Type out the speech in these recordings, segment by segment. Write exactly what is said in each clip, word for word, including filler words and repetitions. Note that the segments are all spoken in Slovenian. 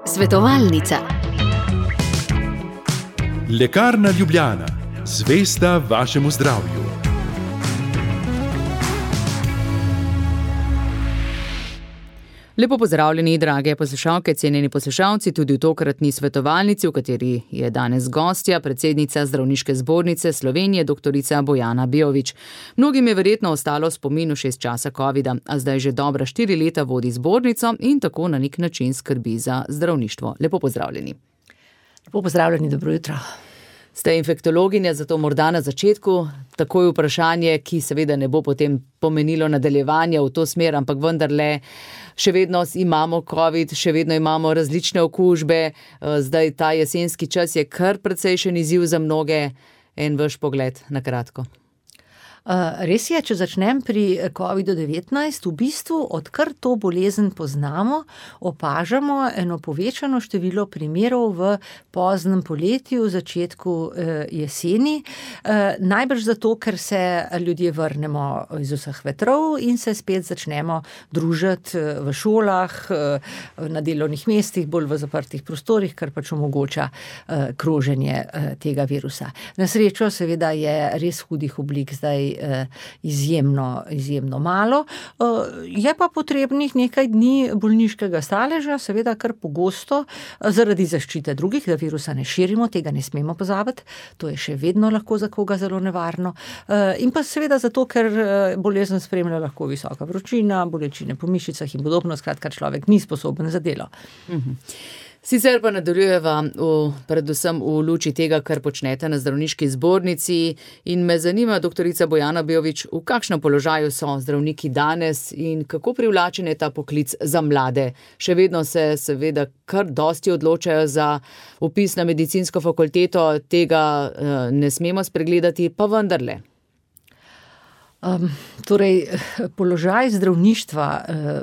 Svetovalnica. Lekarna Ljubljana, zvesta vašemu zdravju. Lepo pozdravljeni, drage poslušalke, cenjeni poslušalci, tudi v tokratni svetovalnici, v kateri je danes gostja, predsednica Zdravniške zbornice Slovenije, doktorica Bojana Beović. Mnogim je verjetno ostalo v spominu šest časa covida, a zdaj že dobra štiri leta vodi zbornico in tako na nek način skrbi za zdravništvo. Lepo pozdravljeni. Lepo pozdravljeni, dobro jutro. Ste infektologinja, zato morda na začetku takoj vprašanje, ki seveda ne bo potem pomenilo nadaljevanja v to smer, ampak vendarle še vedno imamo covid, še vedno imamo različne okužbe, zdaj ta jesenski čas je kar precejšen izziv za mnoge. En vaš pogled na kratko. Uh, res je, če začnem pri kovidu devetnajst, v bistvu, odkar to bolezen poznamo, opažamo eno povečano število primerov v poznem poletju, v začetku uh, jeseni. Uh, najbrž zato, ker se ljudje vrnemo iz vseh vetrov in se spet začnemo družiti v šolah, uh, na delovnih mestih, bolj v zaprtih prostorih, kar pač omogoča uh, kroženje uh, tega virusa. Na srečo seveda je res hudih oblik zdaj izjemno, izjemno malo. Je pa potrebnih nekaj dni bolniškega staleža, seveda kar pogosto, zaradi zaščite drugih, da virusa ne širimo, tega ne smemo pozabiti, to je še vedno lahko za koga zelo nevarno. In pa seveda zato, ker bolezen spremlja lahko visoka vročina, bolečine po mišicah in podobno, skratka človek ni sposoben za delo. Mhm. Sicer pa nadaljujeva v, predvsem v luči tega, kar počnete na Zdravniški zbornici, in me zanima, doktorica Bojana Beović, v kakšnem položaju so zdravniki danes in kako privlačen je ta poklic za mlade. Še vedno se seveda kar dosti odločajo za vpis na medicinsko fakulteto, tega uh, ne smemo spregledati, pa vendarle. Um, torej, položaj zdravništva uh,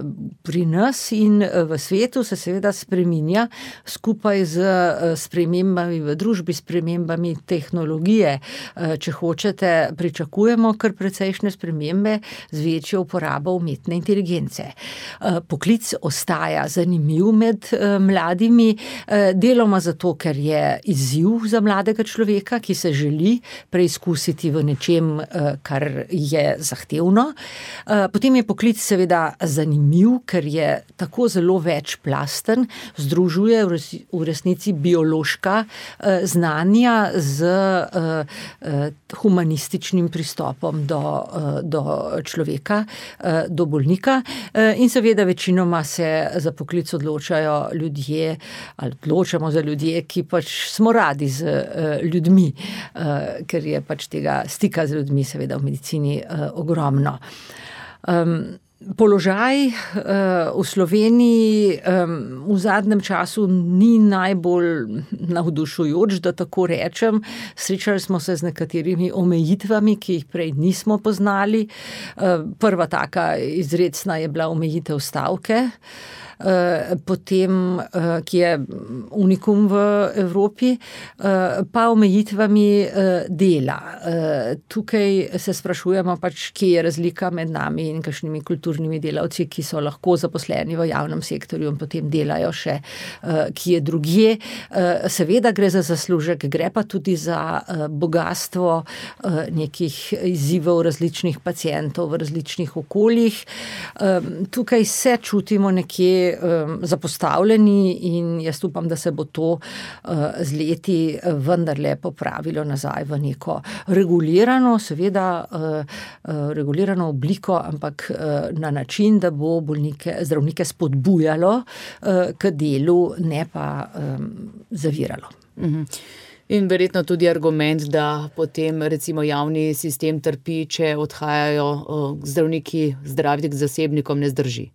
pri nas in v svetu se seveda spreminja skupaj z uh, spremembami v družbi, spremembami tehnologije. Uh, če hočete, pričakujemo kar precejšnje spremembe z večjo uporabo umetne inteligence. Uh, poklic ostaja zanimiv med uh, mladimi, uh, deloma zato, ker je izziv za mladega človeka, ki se želi preizkusiti v nečem, uh, kar je zahtevno. Potem je poklic seveda zanimiv, ker je tako zelo večplasten, združuje v resnici biološka znanja z humanističnim pristopom do, do človeka, do bolnika, in seveda večinoma se za poklic odločajo ljudje, ali odločamo za ljudje, ki pač smo radi z ljudmi, ker je pač tega stika z ljudmi seveda v medicini ogromno. Um, položaj uh, v Sloveniji um, v zadnjem času ni najbolj navdušujoč, da tako rečem. Srečali smo se z nekaterimi omejitvami, ki jih prej nismo poznali. Uh, prva taka izrecna je bila omejitev stavke, potem, ki je unikum v Evropi, pa omejitvami dela. Tukaj se sprašujemo pač, kje je razlika med nami in kakšnimi kulturnimi delavci, ki so lahko zaposleni v javnem sektorju in potem delajo še kje drugje. Seveda gre za zaslužek, gre pa tudi za bogastvo nekih izzivov različnih pacientov v različnih okoljih. Tukaj se čutimo nekje zapostavljeni in jaz upam, da se bo to z leti vendarle popravilo nazaj v neko regulirano, seveda regulirano obliko, ampak na način, da bo bolnike, zdravnike spodbujalo k delu, ne pa zaviralo. Mhm. In verjetno tudi argument, da potem recimo javni sistem trpi, če odhajajo zdravniki zdraviti k zasebnikom, ne zdrži.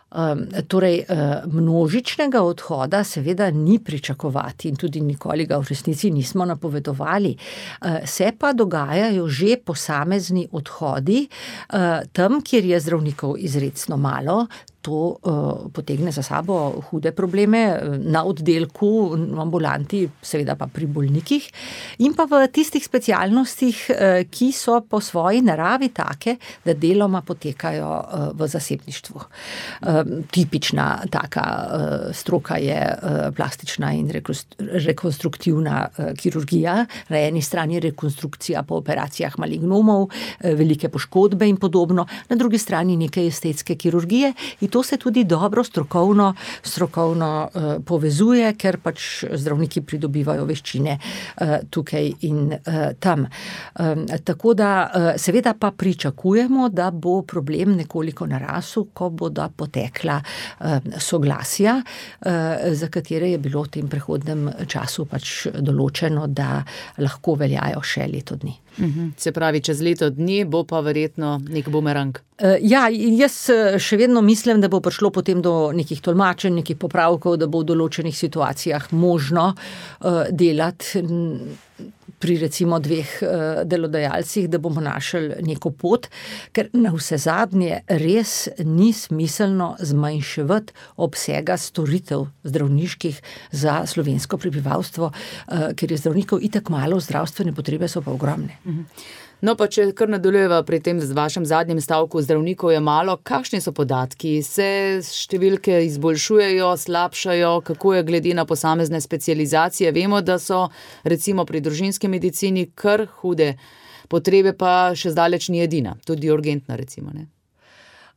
Um, torej, uh, množičnega odhoda seveda ni pričakovati in tudi nikoli ga v resnici nismo napovedovali. Uh, se pa dogajajo že posamezni odhodi uh, tam, kjer je zdravnikov izrecno malo, to potegne za sabo hude probleme na oddelku, v ambulanti, seveda pa pri bolnikih in pa v tistih specialnostih, ki so po svoji naravi take, da deloma potekajo v zasebništvu. Tipična taka stroka je plastična in rekonstruktivna kirurgija, na eni strani rekonstrukcija po operacijah malignomov, velike poškodbe in podobno, na drugi strani neke estetske kirurgije in to se tudi dobro strokovno, strokovno uh, povezuje, ker pač zdravniki pridobivajo veščine uh, tukaj in uh, tam. Um, tako da uh, seveda pa pričakujemo, da bo problem nekoliko narasel, ko bodo potekla uh, soglasja, uh, za katere je bilo v tem prehodnem času pač določeno, da lahko veljajo še leto dni. Uhum. Se pravi, čez leto dni bo pa verjetno nek bumerang. Ja, jaz še vedno mislim, da bo prišlo potem do nekih tolmačenj, nekih popravkov, da bo v določenih situacijah možno delati pri recimo dveh delodajalcih, da bomo našli neko pot, ker na vse zadnje res ni smiselno zmanjševati obsega storitev zdravniških za slovensko prebivalstvo, ker je zdravnikov itak malo, zdravstvene potrebe so pa ogromne. No, pa če kar nadaljujeva pri tem z vašem zadnjem stavku, zdravnikov je malo, kakšni so podatki? Se številke izboljšujejo, slabšajo, kako je glede na posamezne specializacije? Vemo, da so recimo pri družinski medicini kar hude potrebe, pa še zdaleč ni edina, tudi urgentna recimo, ne?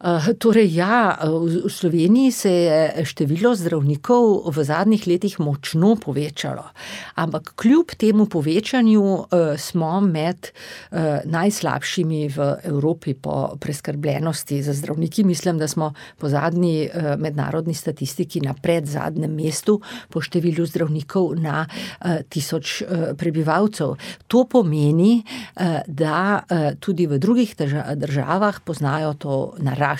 Uh, torej ja, v Sloveniji se je število zdravnikov v zadnjih letih močno povečalo, ampak kljub temu povečanju uh, smo med uh, najslabšimi v Evropi po preskrbljenosti za zdravniki. Mislim, da smo po zadnji uh, mednarodni statistiki na predzadnjem mestu po številu zdravnikov na uh, tisoč uh, prebivalcev. To pomeni, uh, da uh, tudi v drugih državah poznajo to naraščanje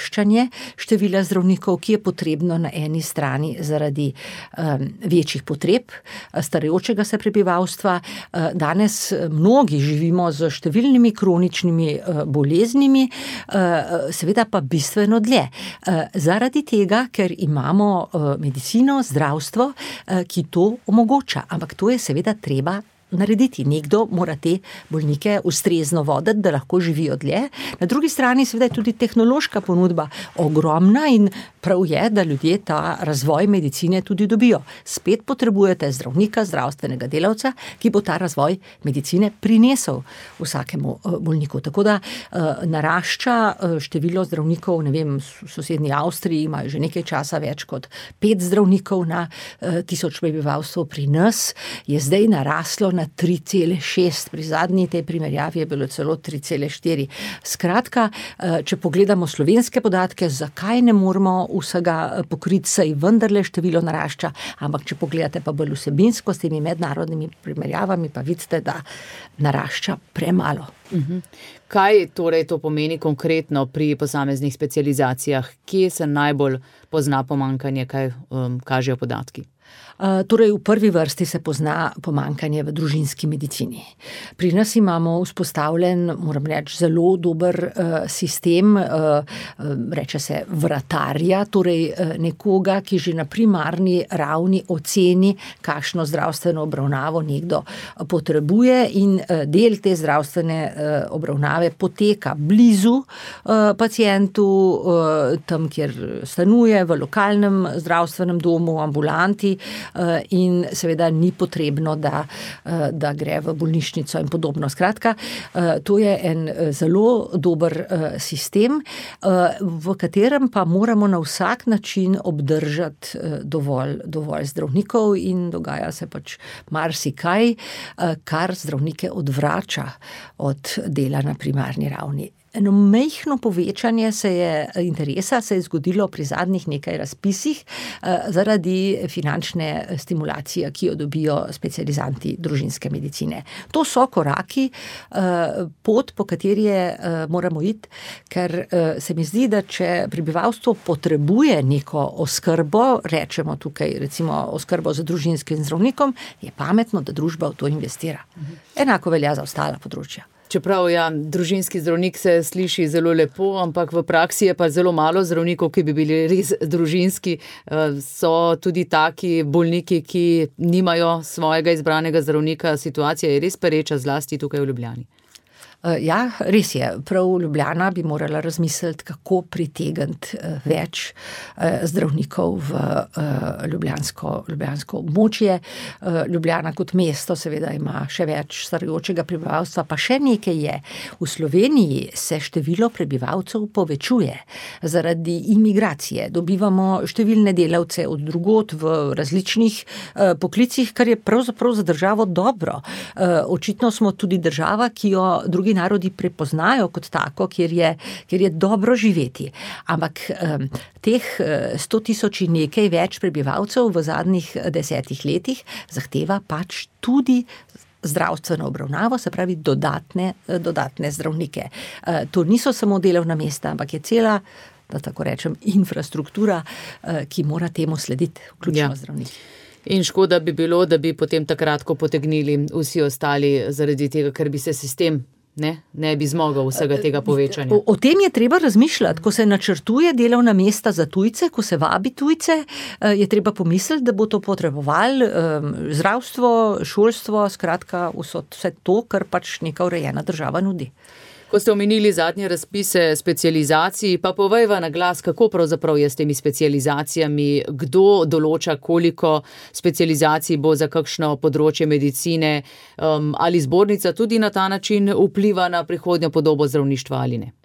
števila zdravnikov, ki je potrebno na eni strani zaradi um, večjih potreb starajočega se prebivalstva. Uh, danes mnogi živimo z številnimi kroničnimi uh, boleznimi, uh, seveda pa bistveno dlje. Uh, zaradi tega, ker imamo uh, medicino, zdravstvo, uh, ki to omogoča, ampak to je seveda treba narediti. Nekdo mora te bolnike ustrezno voditi, da lahko živijo dlje. Na drugi strani seveda je tudi tehnološka ponudba ogromna in prav je, da ljudje ta razvoj medicine tudi dobijo. Spet potrebujete zdravnika, zdravstvenega delavca, ki bo ta razvoj medicine prinesel vsakemu bolniku. Tako da narašča število zdravnikov, ne vem, v sosednji Avstriji imajo že nekaj časa več kot pet zdravnikov na tisoč prebivalcev, pri nas je zdaj naraslo na tri cele šest, pri zadnji tej primerjavi je bilo celo tri cele štiri. Skratka, če pogledamo slovenske podatke, zakaj ne moramo vsega pokriti, saj vendarle število narašča, ampak če pogledate pa bolj vsebinsko s temi mednarodnimi primerjavami, pa vidite, da narašča premalo. Uhum. Kaj torej to pomeni konkretno pri posameznih specializacijah? Kje se najbolj pozna pomanjkanje, kaj um, kažejo podatki? Uh, torej v prvi vrsti se pozna pomanjkanje v družinski medicini. Pri nas imamo vzpostavljen, moram reči, zelo dober uh, sistem, uh, reče se vratarja, torej uh, nekoga, ki že na primarni ravni oceni, kakšno zdravstveno obravnavo nekdo potrebuje in uh, del te zdravstvene uh, obravnave poteka blizu uh, pacientu, uh, tam, kjer stanuje, v lokalnem zdravstvenem domu, ambulanti, in seveda ni potrebno, da, da gre v bolnišnico in podobno. Skratka, to je en zelo dober sistem, v katerem pa moramo na vsak način obdržati dovolj, dovolj zdravnikov in dogaja se pač marsikaj, kar zdravnike odvrača od dela na primarni ravni. Eno majhno povečanje se je, interesa se je zgodilo pri zadnjih nekaj razpisih eh, zaradi finančne stimulacije, ki jo dobijo specializanti družinske medicine. To so koraki, eh, pot, po kateri je, eh, moramo iti, ker eh, se mi zdi, da če prebivalstvo potrebuje neko oskrbo, rečemo tukaj recimo oskrbo za družinskim zdravnikom, je pametno, da družba v to investira. Enako velja za ostala področja. Čeprav ja, družinski zdravnik se sliši zelo lepo, ampak v praksi je pa zelo malo zdravnikov, ki bi bili res družinski. So tudi taki bolniki, ki nimajo svojega izbranega zdravnika. Situacija je res pereča, zlasti tukaj v Ljubljani. Ja, res je. Prav Ljubljana bi morala razmisliti, kako pritegniti več zdravnikov v ljubljansko, ljubljansko območje. Ljubljana kot mesto seveda ima še več starajočega prebivalstva, pa še nekaj je. V Sloveniji se število prebivalcev povečuje zaradi imigracije. Dobivamo številne delavce od drugod v različnih poklicih, kar je pravzaprav za državo dobro. Očitno smo tudi država, ki jo drugi narodi prepoznajo kot tako, kjer je, kjer je dobro živeti. Ampak um, teh sto tisoč in nekaj več prebivalcev v zadnjih desetih letih zahteva pač tudi zdravstveno obravnavo, se pravi dodatne, dodatne zdravnike. Uh, to niso samo delovna mesta, ampak je cela, da tako rečem, infrastruktura, uh, ki mora temu slediti, vključno ja. zdravniki. In škoda bi bilo, da bi potem takrat, ko potegnili vsi ostali zaradi tega, ker bi se sistem Ne, ne bi zmogel vsega tega povečanja. O, o tem je treba razmišljati, ko se načrtuje delovna mesta za tujce, ko se vabi tujce, je treba pomisliti, da bo to potrebovali zdravstvo, šolstvo, skratka vse to, kar pač neka urejena država nudi. Ko ste omenili zadnje razpise specializacij, pa povejva na glas, kako pravzaprav je s temi specializacijami, kdo določa, koliko specializacij bo za kakšno področje medicine, um, ali zbornica tudi na ta način vpliva na prihodnjo podobo zdravništva ali ne?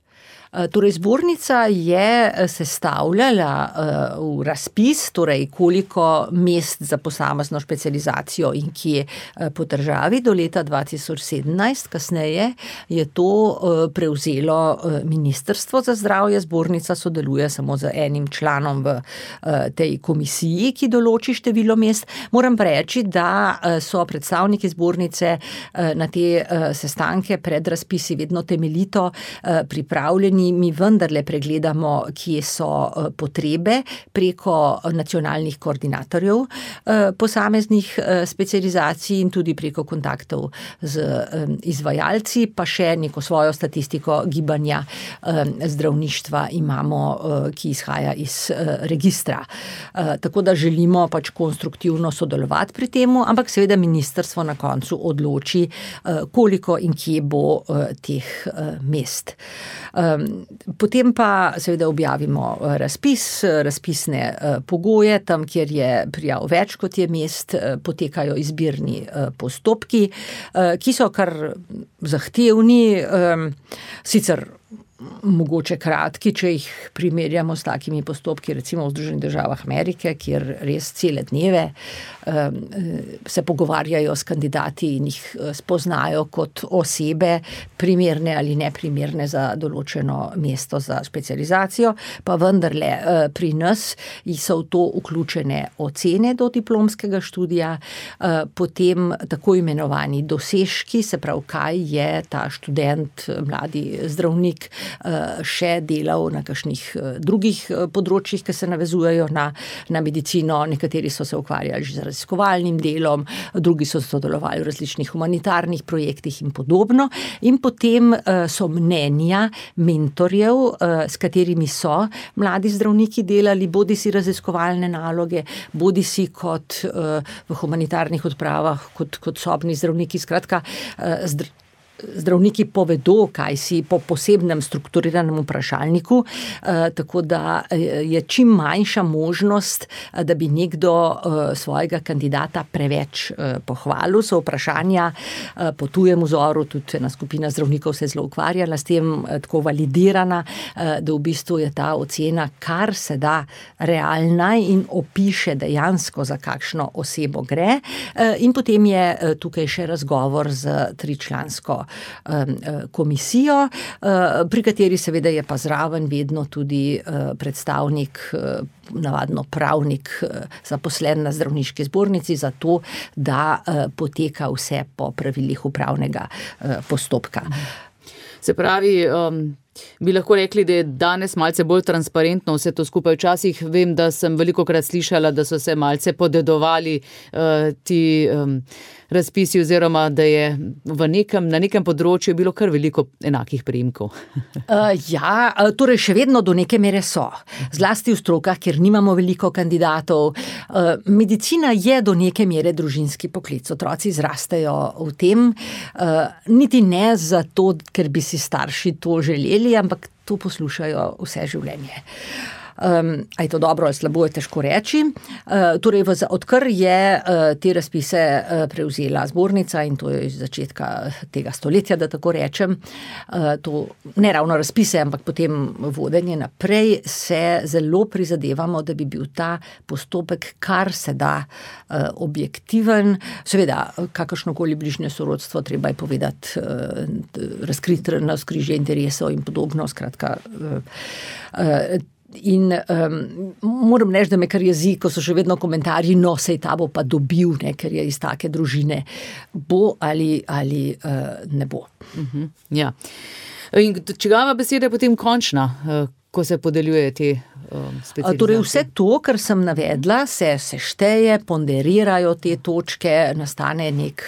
Torej, zbornica je sestavljala uh, v razpis, torej koliko mest za posamezno specializacijo in kje uh, po državi do leta dva tisoč sedemnajst. Kasneje je to uh, prevzelo uh, Ministrstvo za zdravje. Zbornica sodeluje samo z enim članom v uh, tej komisiji, ki določi število mest. Moram pa reči, da uh, so predstavniki zbornice uh, na te uh, sestanke pred razpisi vedno temeljito uh, pripravljeni. Mi vendarle pregledamo, kje so potrebe preko nacionalnih koordinatorjev posameznih specializacij in tudi preko kontaktov z izvajalci, pa še neko svojo statistiko gibanja zdravništva imamo, ki izhaja iz registra. Tako da želimo pač konstruktivno sodelovati pri temu, ampak seveda ministrstvo na koncu odloči, koliko in kje bo teh mest. Potem pa seveda objavimo razpis, razpisne pogoje, tam, kjer je prijav več kot je mest, potekajo izbirni postopki, ki so kar zahtevni, sicer mogoče kratki, če jih primerjamo s takimi postopki, recimo v Združenih državah Amerike, kjer res cele dneve um, se pogovarjajo s kandidati in jih spoznajo kot osebe, primerne ali neprimerne za določeno mesto za specializacijo, pa vendarle pri nas so v to vključene ocene do diplomskega študija, potem tako imenovani dosežki, se pravi, kaj je ta študent, mladi zdravnik, še delal na kakšnih drugih področjih, ki se navezujejo na, na medicino. Nekateri so se ukvarjali že z raziskovalnim delom, drugi so sodelovali v različnih humanitarnih projektih in podobno. In potem so mnenja mentorjev, s katerimi so mladi zdravniki delali, bodi si raziskovalne naloge, bodi si kot v humanitarnih odpravah, kot, kot sobni zdravniki, skratka zdravniki. Zdravniki povedo, kaj si po posebnem strukturiranem vprašalniku, tako da je čim manjša možnost, da bi nekdo svojega kandidata preveč pohvalil. So vprašanja po tujem vzoru, tudi ena skupina zdravnikov se je zelo ukvarjala s tem, tako validirana, da v bistvu je ta ocena kar se da realna in opiše dejansko, za kakšno osebo gre. In potem je tukaj še razgovor z tričlansko komisijo, pri kateri seveda je pa zraven vedno tudi predstavnik, navadno pravnik, zaposlen na zdravniški zbornici, zato da poteka vse po pravilih upravnega postopka. Se pravi, Bi lahko rekli, da je danes malce bolj transparentno vse to skupaj. Včasih vem, da sem velikokrat slišala, da so se malce podedovali uh, ti um, razpisi oziroma da je v nekem, na nekem področju bilo kar veliko enakih priimkov. uh, ja, torej še vedno do neke mere so. Zlasti v strokah, kjer nimamo veliko kandidatov. Uh, medicina je do neke mere družinski poklic. Otroci zrastejo v tem, uh, niti ne zato, ker bi si starši to želeli, ampak to poslušajo vse življenje. Um, a je to dobro ali slabo, je težko reči. Uh, torej, v, odkar je uh, te razpise uh, prevzela zbornica in to je iz začetka tega stoletja, da tako rečem, uh, to ne ravno razpise, ampak potem vodenje naprej, se zelo prizadevamo, da bi bil ta postopek kar se da uh, objektiven. Seveda, kakršnokoli bližnje sorodstvo treba je povedati, uh, razkriti navzkrižje interesov in podobno, skratka. Uh, uh, In um, moram reči, da me kar jezi, ko so še vedno komentarji, no, sej ta bo pa dobil, ne, ker je iz take družine. Bo ali, ali uh, ne bo. Uh-huh, ja. In čigava beseda je potem končna, ko se podeljuje te um, specializacije? Torej vse to, kar sem navedla, se sešteje, ponderirajo te točke, nastane nek,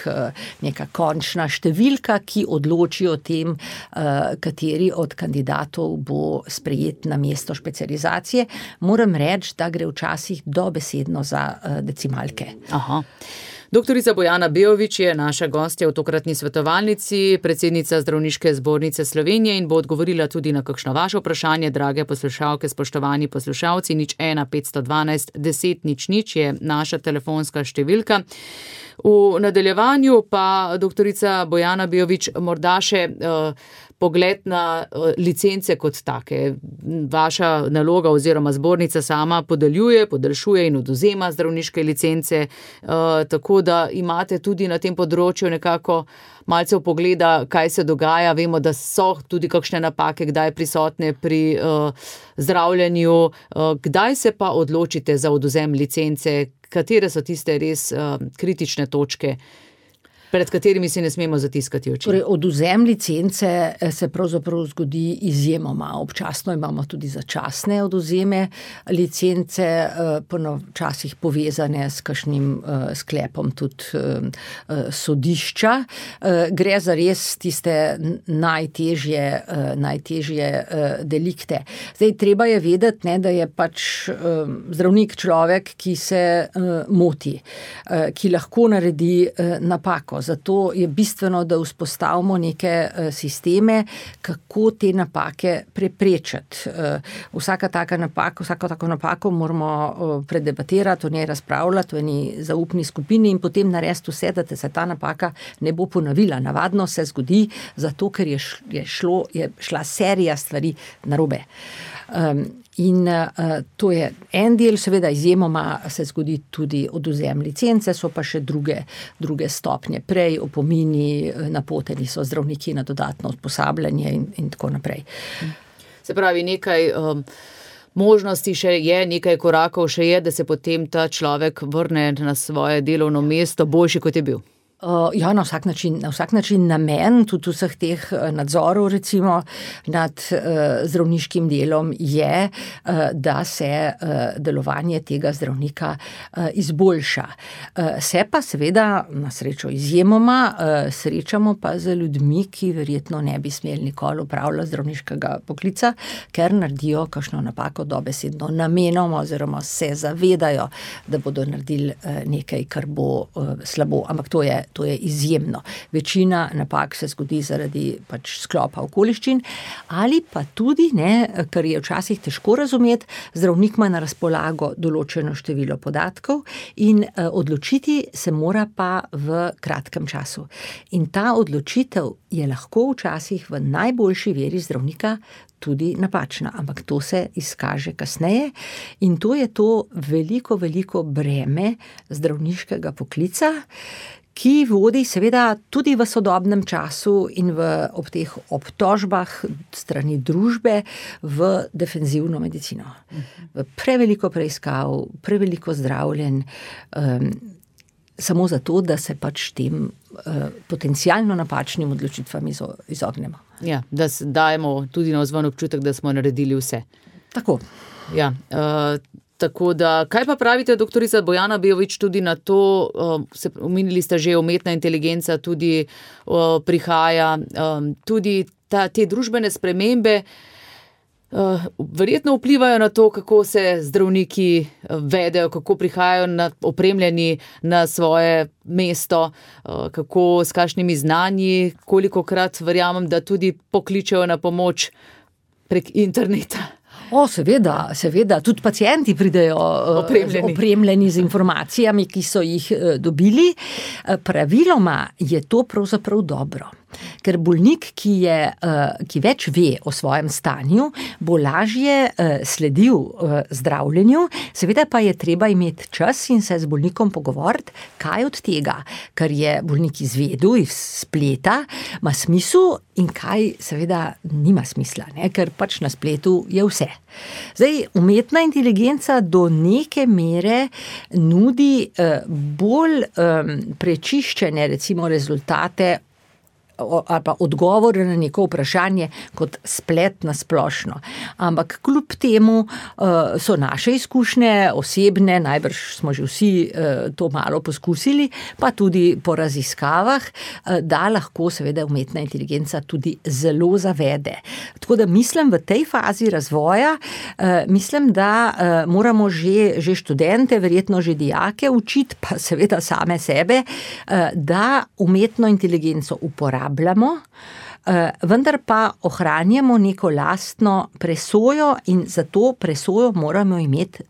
neka končna številka, ki odloči o tem, kateri od kandidatov bo sprejet na mesto specializacije. Moram reči, da gre včasih dobesedno za decimalke. Aha. Doktorica Bojana Beović je naša gostja v tokratni svetovalnici, predsednica Zdravniške zbornice Slovenije in bo odgovorila tudi na kakšno vaše vprašanje, drage poslušalke, spoštovani poslušalci. Nič ena petsto dvanajst deset nič nič je naša telefonska številka. V nadaljevanju pa doktorica Bojana Beović morda še uh, pogled na uh, licence kot take. Vaša naloga oziroma zbornica sama podeljuje, podaljšuje in odvzema zdravniške licence, uh, tako da imate tudi na tem področju nekako malce vpogleda, kaj se dogaja. Vemo, da so tudi kakšne napake, kdaj prisotne pri uh, zdravljenju. Uh, kdaj se pa odločite za odvzem licence? Katere so tiste res uh, kritične točke, pred katerimi si ne smemo zatiskati oči? Torej, odvzem licence se pravzaprav zgodi izjemoma. Občasno imamo tudi začasne odvzeme licence, včasih povezane s kakšnim sklepom tudi sodišča. Gre za res tiste najtežje, najtežje delikte. Zdaj, treba je vedeti, ne, da je pač zdravnik človek, ki se moti, ki lahko naredi napako. Zato je bistveno, da vzpostavimo neke sisteme, kako te napake preprečiti. Vsaka taka napaka, vsako tako napako moramo predebatirati, o njej razpravljati v eni zaupni skupini in potem narediti vse, da se ta napaka ne bo ponovila. Navadno se zgodi, zato ker je, je, šlo, je šla serija stvari narobe. Um, in uh, to je en del, seveda izjemoma se zgodi tudi odvzem licence, so pa še druge, druge stopnje. Prej opomini, napoteni so zdravniki na dodatno usposabljanje in, in tako naprej. Se pravi, nekaj um, možnosti še je, nekaj korakov še je, da se potem ta človek vrne na svoje delovno mesto boljši, kot je bil. Uh, ja, na vsak način, na vsak način namen tudi vseh teh nadzorov recimo nad uh, zdravniškim delom je, uh, da se uh, delovanje tega zdravnika uh, izboljša. Uh, se pa seveda na srečo izjemoma uh, srečamo pa z ljudmi, ki verjetno ne bi smeli nikoli opravljati zdravniškega poklica, ker naredijo kakšno napako dobesedno namenoma oziroma se zavedajo, da bodo naredili uh, nekaj, kar bo uh, slabo, ampak to je To je izjemno. Večina napak se zgodi zaradi pač sklopa okoliščin ali pa tudi, ne, kar je včasih težko razumeti, zdravnik ima na razpolago določeno število podatkov in eh, odločiti se mora pa v kratkem času. In ta odločitev je lahko včasih v najboljši veri zdravnika tudi napačna, ampak to se izkaže kasneje in to je to veliko, veliko breme zdravniškega poklica, ki vodi seveda tudi v sodobnem času in v, ob teh obtožbah strani družbe v defenzivno medicino. V preveliko preiskav, preveliko zdravljenj, um, samo zato, da se pač tem uh, potencialno napačnim odločitvam izo, izognemo. Ja, da dajemo tudi na vzven občutek, da smo naredili vse. Tako. Ja, uh, tako da, kaj pa pravite, doktorica Bojana Beović, tudi na to, uh, se omenili ste že, umetna inteligenca tudi uh, prihaja, um, tudi ta, te družbene spremembe uh, verjetno vplivajo na to, kako se zdravniki vedejo, kako prihajajo na, opremljeni na svoje mesto, uh, kako s kakšnimi znanji, kolikokrat verjamem, da tudi pokličejo na pomoč prek interneta. O, seveda, seveda, tudi pacienti pridejo opremljeni. opremljeni z informacijami, ki so jih dobili. Praviloma je to pravzaprav dobro. Ker bolnik, ki, je, ki več ve o svojem stanju, bo lažje sledil zdravljenju, seveda pa je treba imeti čas in se z bolnikom pogovoriti, kaj od tega, kar je bolnik izvedel iz spleta, ima smisel in kaj seveda nima smisla, ne? Ker pač na spletu je vse. Zdaj, umetna inteligenca do neke mere nudi bolj prečiščene, recimo, rezultate ali pa odgovore na neko vprašanje kot splet na splošno. Ampak kljub temu uh, so naše izkušnje osebne, najbrž smo že vsi uh, to malo poskusili, pa tudi po raziskavah, uh, da lahko seveda umetna inteligenca tudi zelo zavede. Tako da mislim v tej fazi razvoja, uh, mislim, da uh, moramo že, že študente, verjetno že dijake učiti, pa seveda same sebe, uh, da umetno inteligenco uporabljamo, vendar pa ohranjamo neko lastno presojo in za to presojo moramo imeti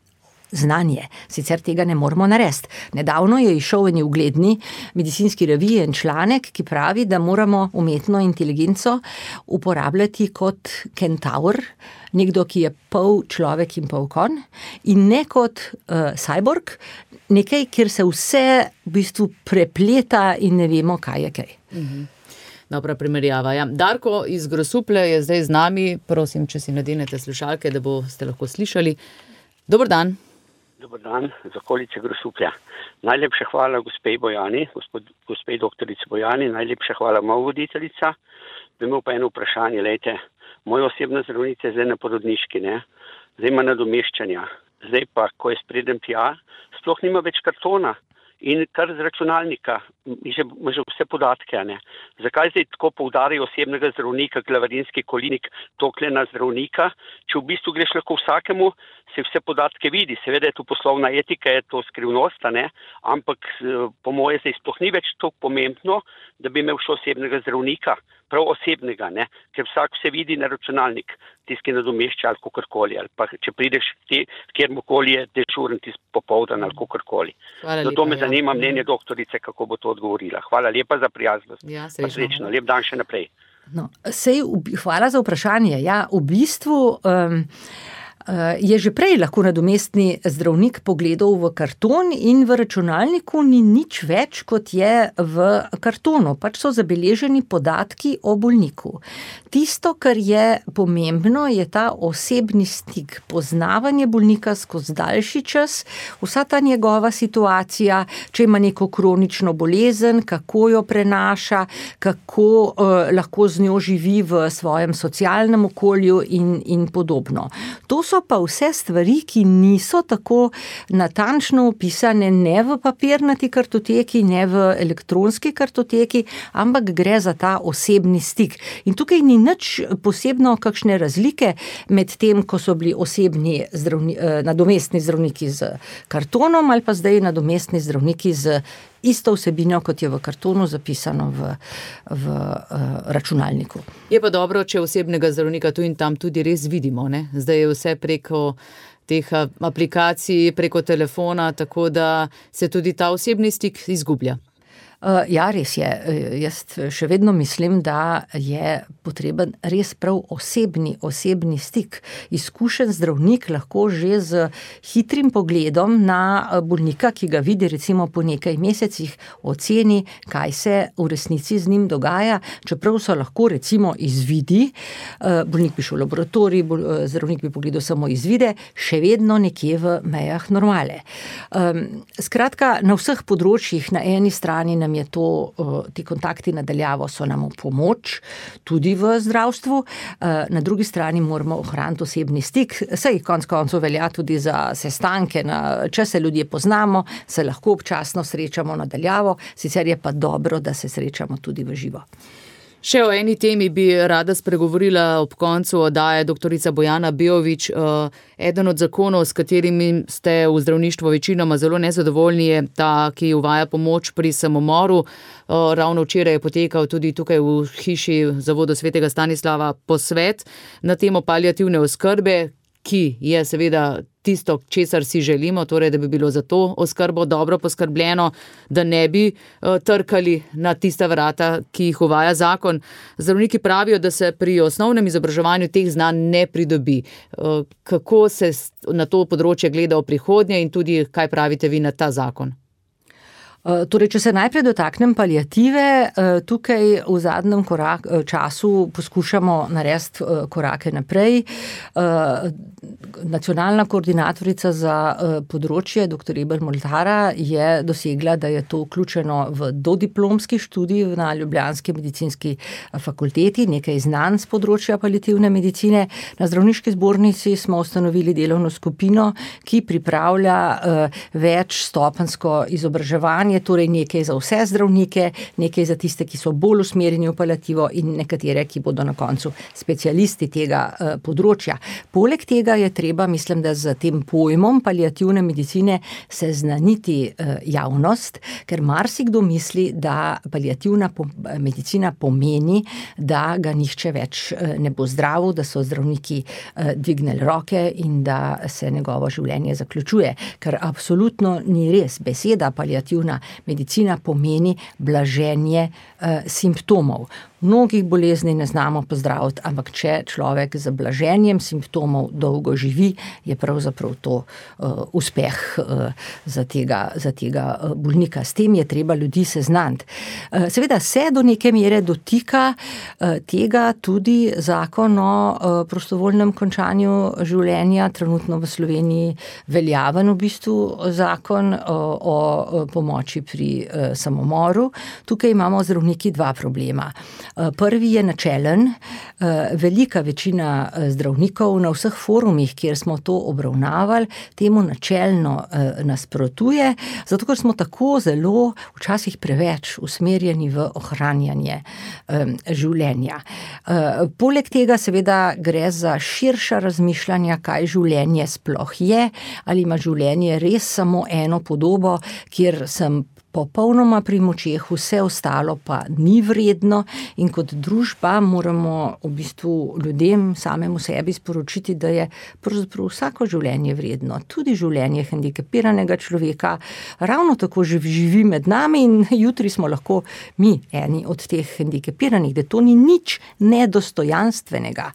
znanje. Sicer tega ne moramo narediti. Nedavno je izšel v eni ugledni medicinski reviji en članek, ki pravi, da moramo umetno inteligenco uporabljati kot kentaur, nekdo, ki je pol človek in pol konj, in ne kot uh, cyborg, nekaj, kjer se vse v bistvu prepleta in ne vemo, kaj je kaj. Mhm. Dobra primerjava. Ja. Darko iz Grosuplja je zdaj z nami. Prosim, če si nadenete slušalke, da boste lahko slišali. Dober dan. Dober dan, z okolice Grosuplja. Najlepša hvala gospej Bojani, gospod, gospej doktorici Bojani, najlepša hvala moja voditeljica. Bi imel pa eno vprašanje, lejte, moja osebna zdravnica je zdaj na porodniški, ne? Zdaj ima nadomeščanja. Zdaj pa, ko je spredem tja, sploh nima več kartona. In kar z računalnika, ima že vse podatke, ne. Zakaj zdaj tako poudarjajo osebnega zdravnika, glavarinski kolinik, tokle na zdravnika, če v bistvu greš lahko vsakemu, se vse podatke vidi, seveda je tu poslovna etika, je to skrivnost, ne, ampak po moje zdaj sploh ni več toliko pomembno, da bi imel še osebnega zdravnika, prav osebnega, ne, ker vsak vse vidi na računalnik, tisti nadomešča ali kakorkoli, ali pa če prideš te, kjermokoli je dežuren tisti popoldan ali kakorkoli. Zato me zanima mnenje doktorice, kako bo to odgovorila. Hvala lepa za prijaznost. Ja, srečno. Lep dan še naprej. No, sej, hvala za vprašanje. Ja, v bistvu um, je že prej lahko nadomestni zdravnik pogledal v karton in v računalniku ni nič več, kot je v kartonu. Pač so zabeleženi podatki o bolniku. Tisto, kar je pomembno, je ta osebni stik, poznavanje bolnika skozi daljši čas, vsa ta njegova situacija, če ima neko kronično bolezen, kako jo prenaša, kako uh, lahko z njo živi v svojem socialnem okolju in, in podobno. To so pa vse stvari, ki niso tako natančno opisane ne v papirnati kartoteki, ne v elektronski kartoteki, ampak gre za ta osebni stik. In tukaj ni nič posebno kakšne razlike med tem, ko so bili osebni zdravni, nadomestni zdravniki z kartonom ali pa zdaj nadomestni zdravniki z isto vsebino, kot je v kartonu zapisano v, v uh, računalniku. Je pa dobro, če osebnega zdravnika tu in tam tudi res vidimo, ne? Zdaj je vse preko teh aplikacij, preko telefona, tako da se tudi ta osebni stik izgublja. Uh, ja, res je. Jaz še vedno mislim, da je potreben res prav osebni, osebni stik. Izkušen zdravnik lahko že z hitrim pogledom na bolnika, ki ga vidi recimo po nekaj mesecih, oceni, kaj se v resnici z njim dogaja, čeprav so lahko recimo izvidi, bolnik bi šel v laboratorij, zdravnik bi pogledal samo izvide, še vedno nekje v mejah normale. Um, skratka, na vseh področjih, na eni strani nam je to, ti kontakti nadaljavo so nam v pomoč, tudi v zdravstvu, na drugi strani moramo ohraniti osebni stik, saj konec koncev velja tudi za sestanke, na, če se ljudje poznamo, se lahko občasno srečamo nadaljavo, sicer je pa dobro, da se srečamo tudi v živo. Še o eni temi bi rada spregovorila ob koncu oddaje doktorica Bojana Beović. Eden od zakonov, s katerimi ste v zdravništvu večinoma zelo nezadovoljni, je ta, ki uvaja pomoč pri samomoru. Ravno včeraj je potekal tudi tukaj v hiši Zavoda svetega Stanislava posvet na temo paliativne oskrbe, ki je seveda tisto, česar si želimo, torej da bi bilo za to oskrbo dobro poskrbljeno, da ne bi uh, trkali na tista vrata, ki jih uvaja zakon. Zdravniki pravijo, da se pri osnovnem izobraževanju teh znanj ne pridobi. Uh, kako se na to področje gleda v prihodnje in tudi kaj pravite vi na ta zakon? Torej, če se najprej dotaknem paliative, tukaj v zadnjem korak, času poskušamo narediti korake naprej. Nacionalna koordinatorica za področje, doktor Eber Moltara, je dosegla, da je to vključeno v dodiplomski študij na Ljubljanski medicinski fakulteti, nekaj znanj z področja paliativne medicine. Na zdravniški zbornici smo ustanovili delovno skupino, ki pripravlja večstopenjsko izobraževanje, torej nekaj za vse zdravnike, nekaj za tiste, ki so bolj usmerjeni v paliativo in nekatere, ki bodo na koncu specialisti tega uh, področja. Poleg tega je treba, mislim, da z tem pojmom paliativne medicine seznaniti uh, javnost, ker marsikdo misli, da paliativna po- medicina pomeni, da ga nihče več uh, ne bo zdravil, da so zdravniki uh, dvignili roke in da se njegovo življenje zaključuje, ker absolutno ni res. Beseda paliativna medicina pomeni blaženje eh, simptomov. Mnogih bolezni ne znamo pozdraviti, ampak če človek z blaženjem simptomov dolgo živi, je pravzaprav to uh, uspeh uh, za tega, za tega uh, bolnika. S tem je treba ljudi seznaniti. Uh, seveda se do neke mere dotika uh, tega tudi zakon o uh, prostovoljnem končanju življenja, trenutno v Sloveniji veljaven v bistvu zakon uh, o uh, pomoči pri uh, samomoru. Tukaj imamo zdravniki dva problema. Prvi je načelen. Velika večina zdravnikov na vseh forumih, kjer smo to obravnavali, temu načelno nasprotuje, zato ker smo tako zelo, včasih preveč usmerjeni v ohranjanje življenja. Poleg tega seveda gre za širša razmišljanja, kaj življenje sploh je, ali ima življenje res samo eno podobo, kjer sem popolnoma pri močeh, vse ostalo pa ni vredno in kot družba moramo v bistvu ljudem samemu sebi sporočiti, da je pravzaprav vsako življenje vredno, tudi življenje hendikepiranega človeka, ravno tako živi med nami in jutri smo lahko mi eni od teh hendikepiranih, da to ni nič nedostojanstvenega.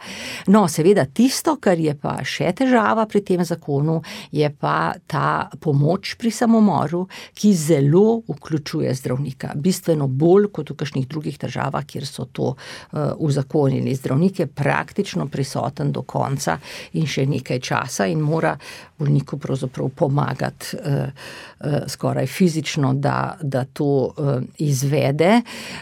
No, seveda tisto, kar je pa še težava pri tem zakonu, je pa ta pomoč pri samomoru, ki zelo vključuje zdravnika. Bistveno bolj kot v kakšnih drugih državah, kjer so to uh, uzakonili. Zdravnik je praktično prisoten do konca in še nekaj časa in mora bolniku pravzaprav pomagati uh, uh, skoraj fizično, da, da to uh, izvede.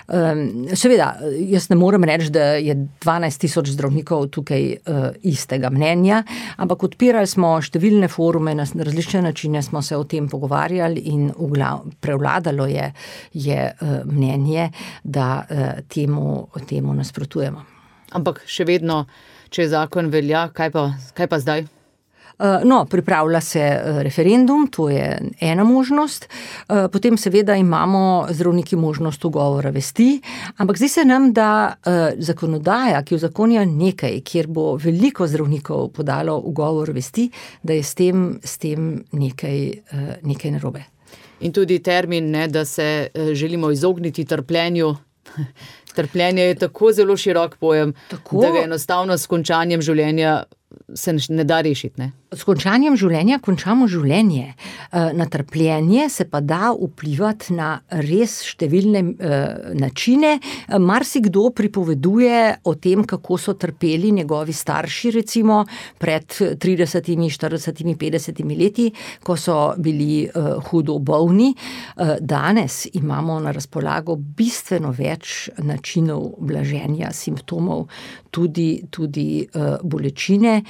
Um, seveda, jaz ne morem reči, da je dvanajst tisoč zdravnikov tukaj uh, istega mnenja, ampak odpirali smo številne forume, na različne načine smo se o tem pogovarjali in uglav, prevladalo je, je uh, mnenje, da uh, temu, temu nasprotujemo. Ampak še vedno, če zakon velja, kaj pa, kaj pa zdaj? No, pripravlja se referendum, to je ena možnost. Potem seveda imamo zdravniki možnost ugovora vesti, ampak zdi se nam, da zakonodaja, ki uzakonja nekaj, kjer bo veliko zdravnikov podalo ugovor vesti, da je s tem, s tem nekaj, nekaj narobe. In tudi termin, ne, da se želimo izogniti trpljenju. Trpljenje je tako zelo širok pojem, tako, da ga enostavno s končanjem življenja se ne da rešiti, ne? S končanjem življenja končamo življenje. Na trpljenje se pa da vplivati na res številne načine. Marsikdo pripoveduje o tem, kako so trpeli njegovi starši, recimo pred tridesetimi, štiridesetimi, petdesetimi leti, ko so bili hudo bolni. Danes imamo na razpolago bistveno več načinov blaženja simptomov, tudi, tudi bolečine,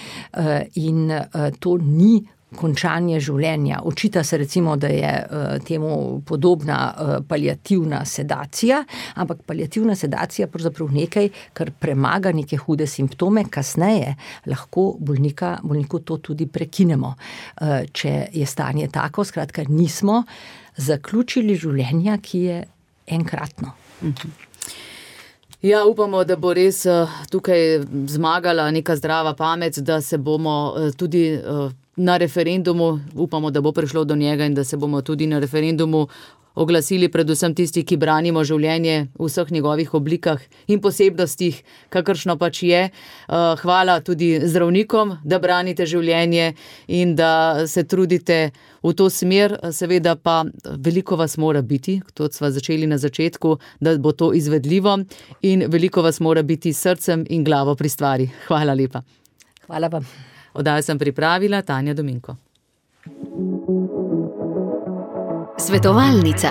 in to ni končanje življenja. Očita se recimo, da je temu podobna paliativna sedacija, ampak paliativna sedacija je pravzaprav nekaj, kar premaga neke hude simptome, kasneje lahko bolnika, bolniku to tudi prekinemo, če je stanje tako. Skratka, nismo zaključili življenja, ki je enkratno. Mhm. Ja, upamo, da bo res tukaj zmagala neka zdrava pamet, da se bomo tudi na referendumu, upamo, da bo prišlo do njega in da se bomo tudi na referendumu oglasili predvsem tisti, ki branimo življenje v vseh njegovih oblikah in posebnostih, kakršno pač je. Hvala tudi zdravnikom, da branite življenje in da se trudite v to smer. Seveda pa veliko vas mora biti, to sva začeli na začetku, da bo to izvedljivo, in veliko vas mora biti srcem in glavo pri stvari. Hvala lepa. Hvala vam. Oddajo sem pripravila Tanja Dominko. Svetovalnica.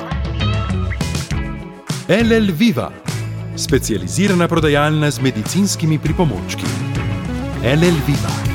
L L Viva, specializirana prodajalna z medicinskimi pripomočki. L L Viva.